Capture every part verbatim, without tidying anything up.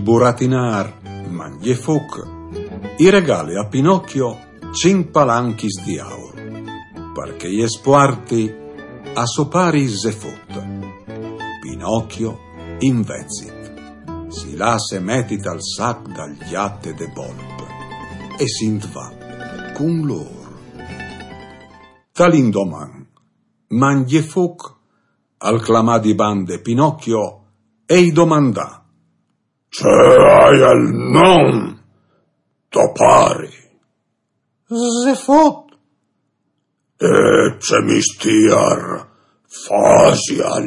Buratinar Mangjefuc i regale a Pinocchio cinc palanchis di aur, parché jes puarti a so pari Zefut. Pinocchio, invezit, si lasse meti tal sac dal gjat e de bolp e sint va cun lôr. Tal indoman, Mangjefuc al clamà di bande Pinocchio e i domandà: Ce aial non to pari? Zefut. E ce mistiar fasial?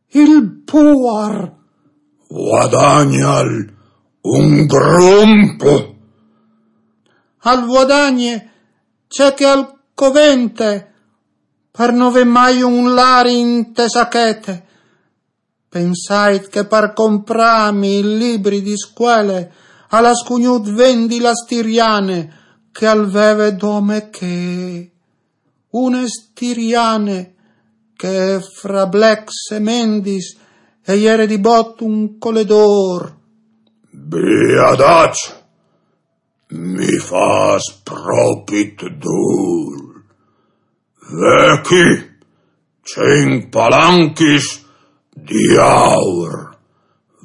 Il puar. Vuadagnal un grump? Al vuadagne ce che al covente, par no vê mai un lari inte sachete. Pensait che par comprâmi il libri di scuele al à scugnût vendi la stiriane che al veve dome chê. Une stiriane che fra blecs e mendis e jere di bot un coledôr. Biadaç, mi fâs propit dûl. Ve chi, cinc palanchis di aur.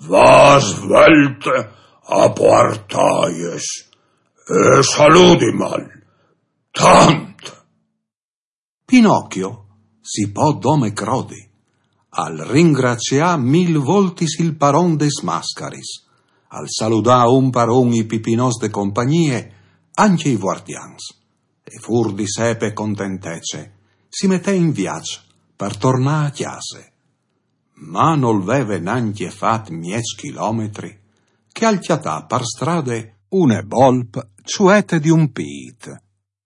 Va svelte a puartâjes e saludimal tant. Pinocchio si pò dome crodi. Al ringracià mil voltis il paron des mascaris, al saludà un par un i pipinots de compagnie, ancje i vuartians. E fûr di sepe contentece, si metè in viaç par tornâ a cjase. Ma nol veve nancje fat mieç chilometri, che al cjatà par strade une bolp çuete di un pît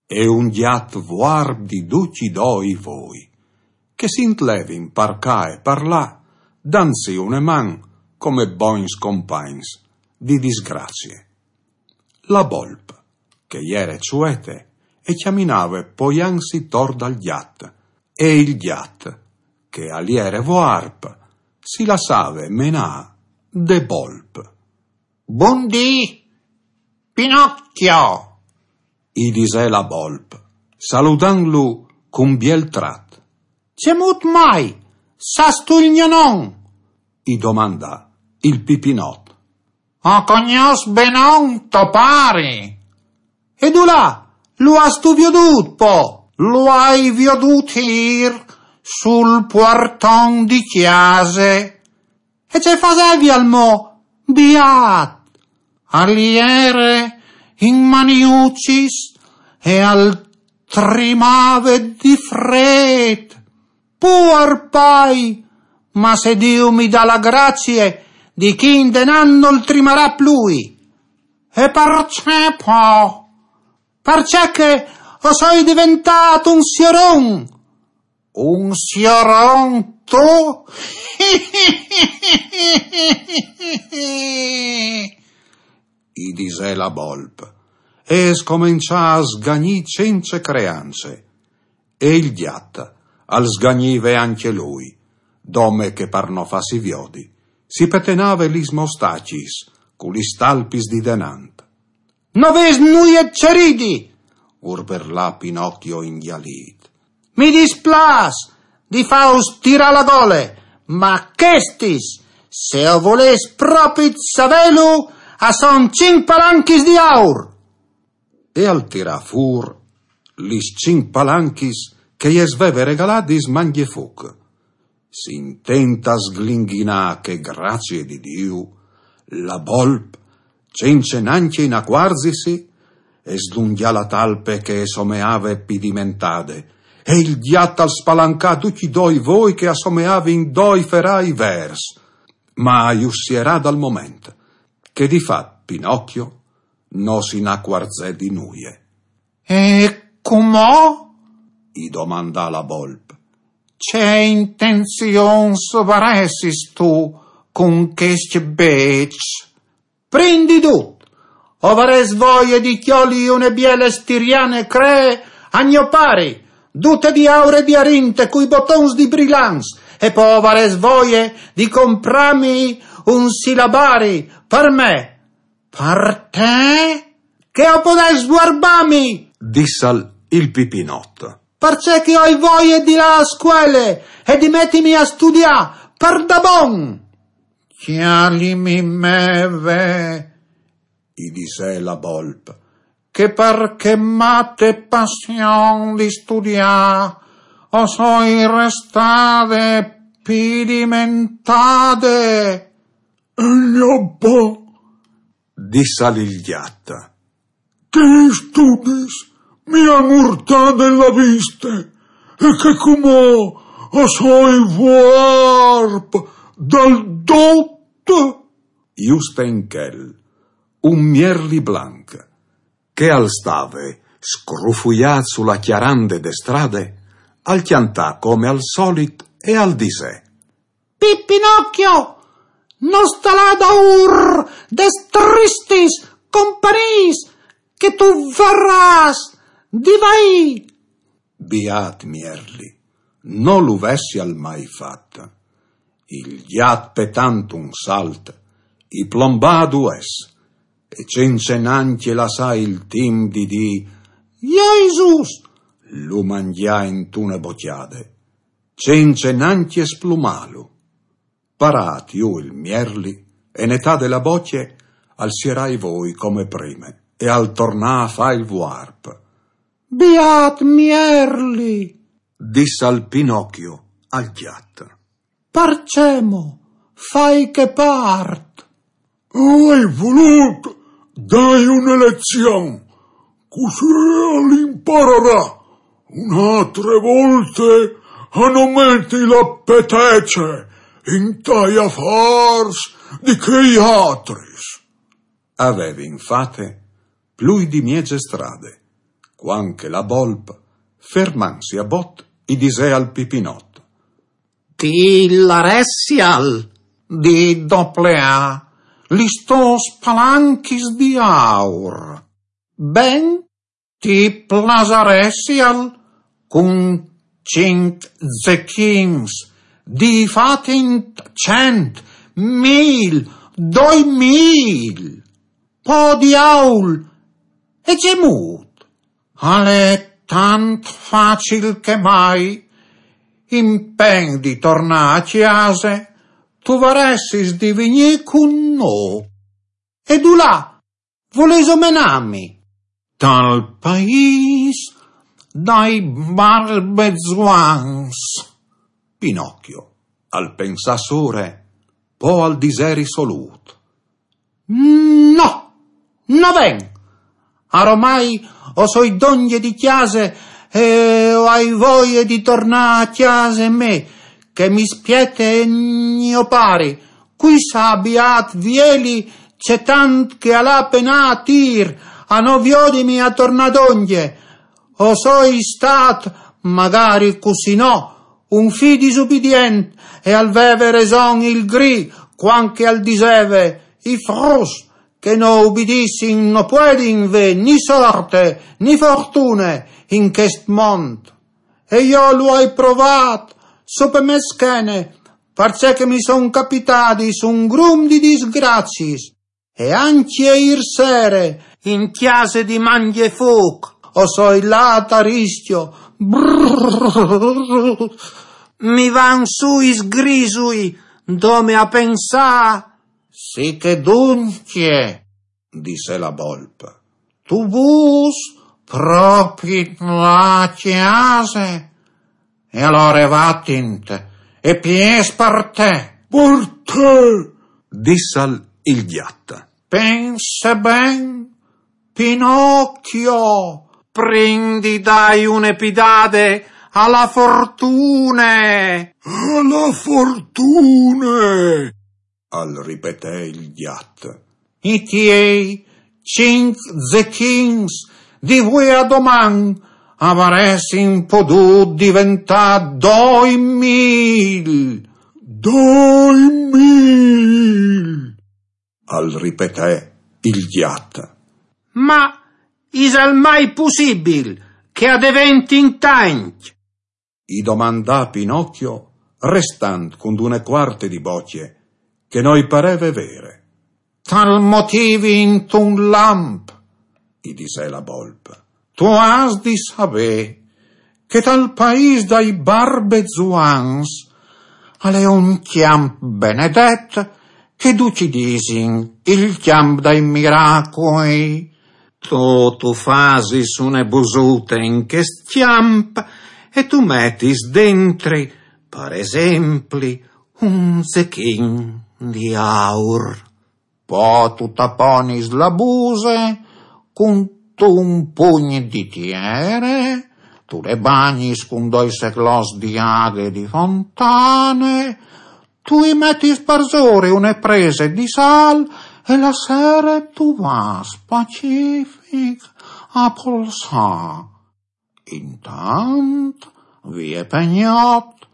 e un gjat vuarp di ducj i doi voi, che si intlevin par ca e par là, dantsi une man come bogns compagns di disgracie. La bolp, che e jere çuete, e cjaminave poiantsi tor dal gjat, e il gjat, che al jere vuarp, si lassave menâ de bolp. Bundì, Pinocchio! I disè la bolp, saludantlu cun biel trat. Cemût mai? Sâstu il gno non? I domandà il pipinot. O cognòs benon to pari. E dulà lu âstu viodût po? Lu ai viodût îr sul puarton di cjase. E ce fasevial mo, biat? Al jere in maniucis e al trimave di frêt. Puar pai, ma se Diu mi dà la gracie, di chi indenant nol trimarà plui. E parcè po? Parcè che o soi deventât un sioron. Un sioron tu? I disè la bolp, e e scomençà a sgagnî cence creance. E il gjat al sgagnive ancje lui, dome che par no fâsi viodi, si petenave lis mostacis cu lis talpis di denant. No vês nuie ce ridi, urberlà Pinocchio ingjalît. Mi displâs di fâus tirâ la gole, ma chestis, se o volês propit savêlu, a son cinc palanchis di aur. E al tirà fûr lis cinc palanchis che jes veve regaladis Mangjefuc. Sintint a sglinghinâ chê gracie di Diu, la bolp, cence nancje inacuarzisi, e slungjà la talpe che e someave pidimentade, e il gjat al spalancà ducj i doi voi che a someavin doi ferai vêrs, ma a ju sierà dal moment che di fat Pinocchio no si inacuarzè di nuie. E cumò? I domandà la bolp. Ce intenzions varessistu cun chescj bêçs? Prin di dut, o varès voie di cjoli une biele stiriane cree a gno pari, dute di aur e di arint e cui botons di brilants, e po o varès voie di comprâmi un silabari per me. Per te? Che o podès svuarbami? Dissal il Pipinot. Perché che ho voglia di là a scuole e di mettimi a studiare per da bon. Chialimi me ve, i disè la bolp, che per che mate passion di studià o soi restade pidimentade. E gnò po, dissal il gjat, che i studis mi han urtade la viste e che cumò o soi vuarp dal dut. Juste in chel, un mierli blanc, che al stave scrufuiât su la cjarande de strade, al cjantà come al solit e al disè: Pipinocchio, no sta là daûr des tristis companiis, che tu varrâs di vaî. Biât mierli, no lu vessial mai fat. Il gjat, petant un salt, i plombà dues, e cence nancje lassà il timp di dî: Jesùs! Lu mangjà intune bocjade, cence nancje splumâlu. Parât jù il mierli e netade la bocje, al sierà i voi come prime e al tornà a fâ il vuarp. Biât mierli! Dissal Pinocchio al gjat. Parcè mo fâi chê part? O ai volût dâi une lezion, cussì al impararà une altre volte a no meti la petece intai afârs di chei altris. A vevin fate plui di mieze strade, cuant che la bolp, fermantsi a bot, i disè al Pipinot: Ti laressial di dopleâ lis tôs palanchis di aur. Ben, ti plasaressial cun cinc zechins di fâ cent, mil, doi mil? Po diaul! E cemût? Al è tant facil che mai, impen di tornâ a cjase, tu varessis di vignî cun nô. E dulà volêso menâmi? Tal paîs dai barbezuans. Pinocchio al pensà sore, po al disè risolût: No, no ven! Aromai o soi dongje di cjase e o ai voie di tornâ a cjase me, che mi spiete gno pari, cui sa biât vieli ce tant che al à penât a tîr a no viodimi a tornâ dongje. O soi stât, magari cussì no, un fi disubidient, e al veve reson il gri cuant che al diseve: i fruts che no ubidissin no puedin vê ni sorte ni fortune in chest mont. E jo lu ai provât su pe mê schene, parcè che mi son capitadis un grum di disgraciis. E ancje îr sere, in cjase di Mangjefûc, o soi lât a riscjo. Brrr, mi van sù i sgrisui, dome a pensâ. Sì che duncje, disè la bolp, tu vûs propit lâ a cjase? E alore vatint, e piês par te. Par te, dissal il gjat. Pense ben, Pinocchio, prin di dâi une pidade a la fortune. A la fortune, al ripetè il gjat. I tiei cinc zechins di vuê a doman a varessin podût diventâ doi mil. Doi mil, al ripetè il gjat. Ma isal mai pussibil che a deventin tancj? I domandà Pinocchio, restant cuntune cuarte di bocje, che no i pareve vere. Tal motìvi intun lamp, i disè la bolp. Tu âs di savê che tal paîs dai barbezuans al è un cjamp benedet che ducj i disin il cjamp dai miracui. Tu, tu fasis une busute in chest cjamp e tu metis dentri, par esempli, un zechin di aur. Po tu taponis la buse cuntun pugn di tiere, tu le bagnis cun doi seclots di aghe di fontane, tu i metis parsore une prese di sâl e la sere tu vâs pacific a polsâ. Intant, vie pe gnot,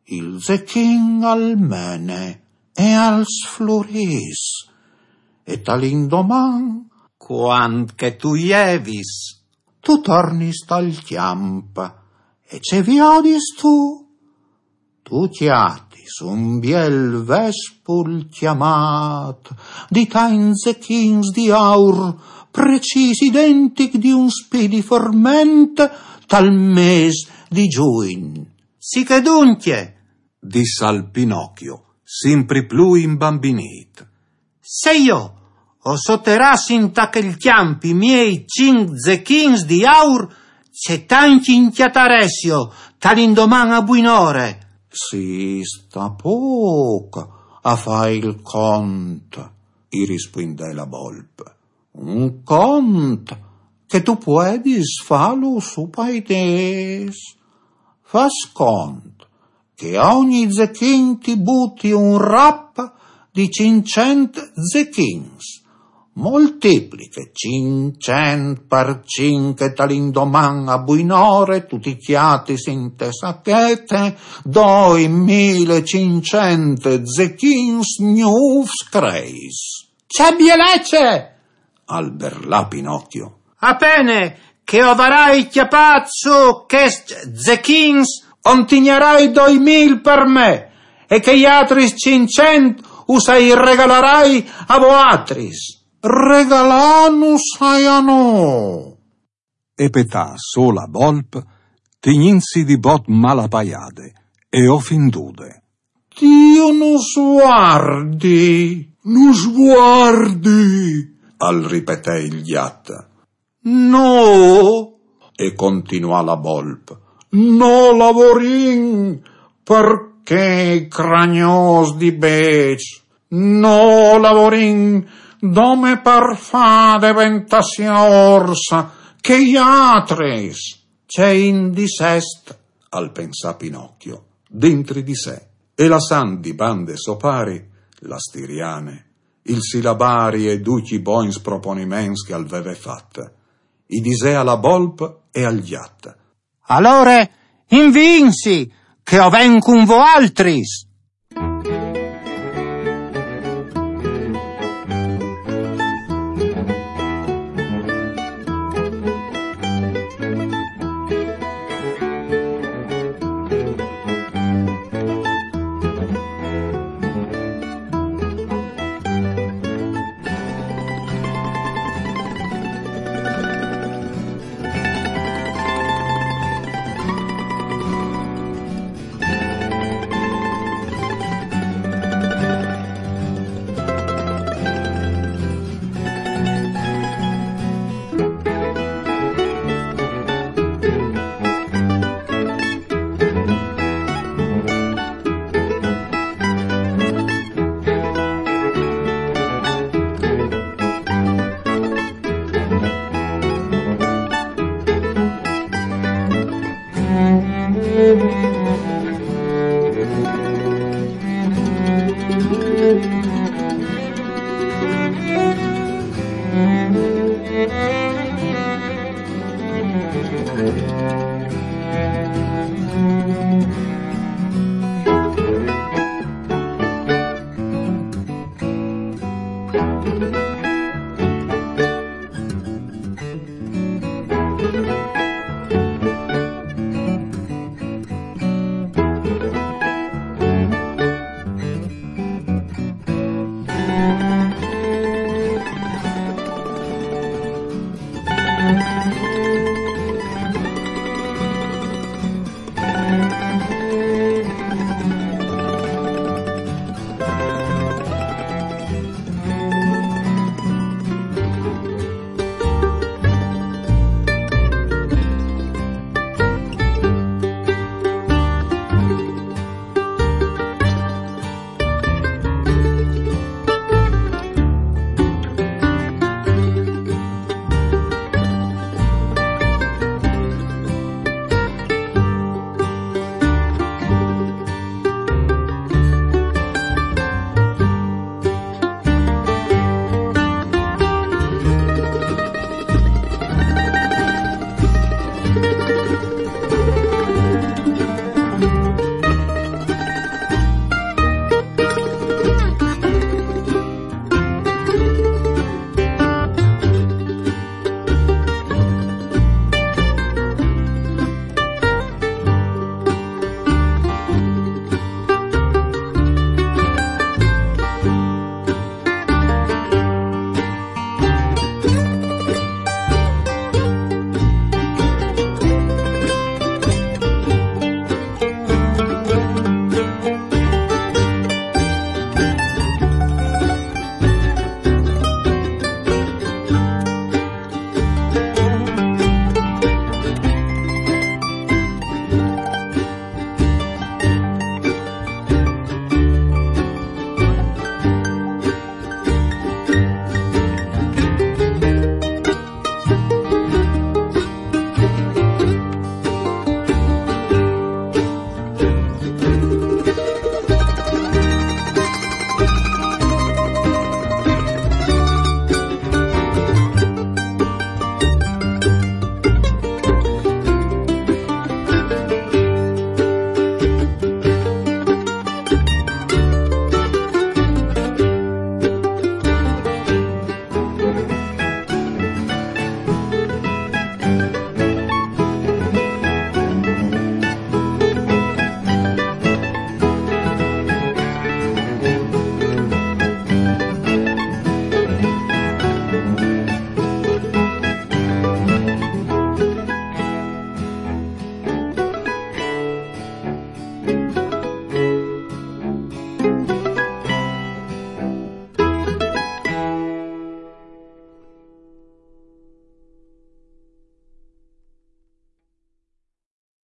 il zechin al mene e al sflurìs, e tal indoman, cuant che tu jevis, tu tornis tal cjamp, e ce viodistu? Tu cjatis un biel vespul cjamât di tancj zechins di aur, precîs identic di un spì di forment tal mês di Jugn. Sì che duncje, dissal Pinocchio, simpri plui imbambinît. Se jo o soteràs inta chel cjamp i miei cinc zechins di aur, ce tancj i cjataressio tal indoman a buinore? Si sta pôc a fâ il cont, i rispuindè la bolp. Un cont che tu puedis fâlu su pai dês. Fâs cont che a ogni zechin ti buti un rap di cinccent zechins. Moltipliche cinccent par cinc e tal indoman a buinore tu ti cjatis inte sachete doi mil e cinccent zechins gnûfs creis. Ce bielece! Al berlà Pinocchio. A pene che o varai cjapât sù chescj zechins, o 'nt tignarai doi mil par me, e chei altris cinccent us ai regalarai a voaltris. Regalânus ai a nô! E petà sù la bolp, tignintsi di bot malapaiade e ofindude. Diu nus vuardi! Nus vuardi! Al ripetè il gjat. Nô, e continuà la bolp, no lavorìn par chei cragnôs di bêçs, no lavorìn dome par fâ deventâ siôrs chei altris. Ce indissest, al pensà Pinocchio, dentri di se, e lassant di bande so pari, la stiriane, il silabari e ducj i bogns proponiments che al veve fat, i disè a la bolp e al gjat. Alore, inviinsi, che o ven cun voaltris!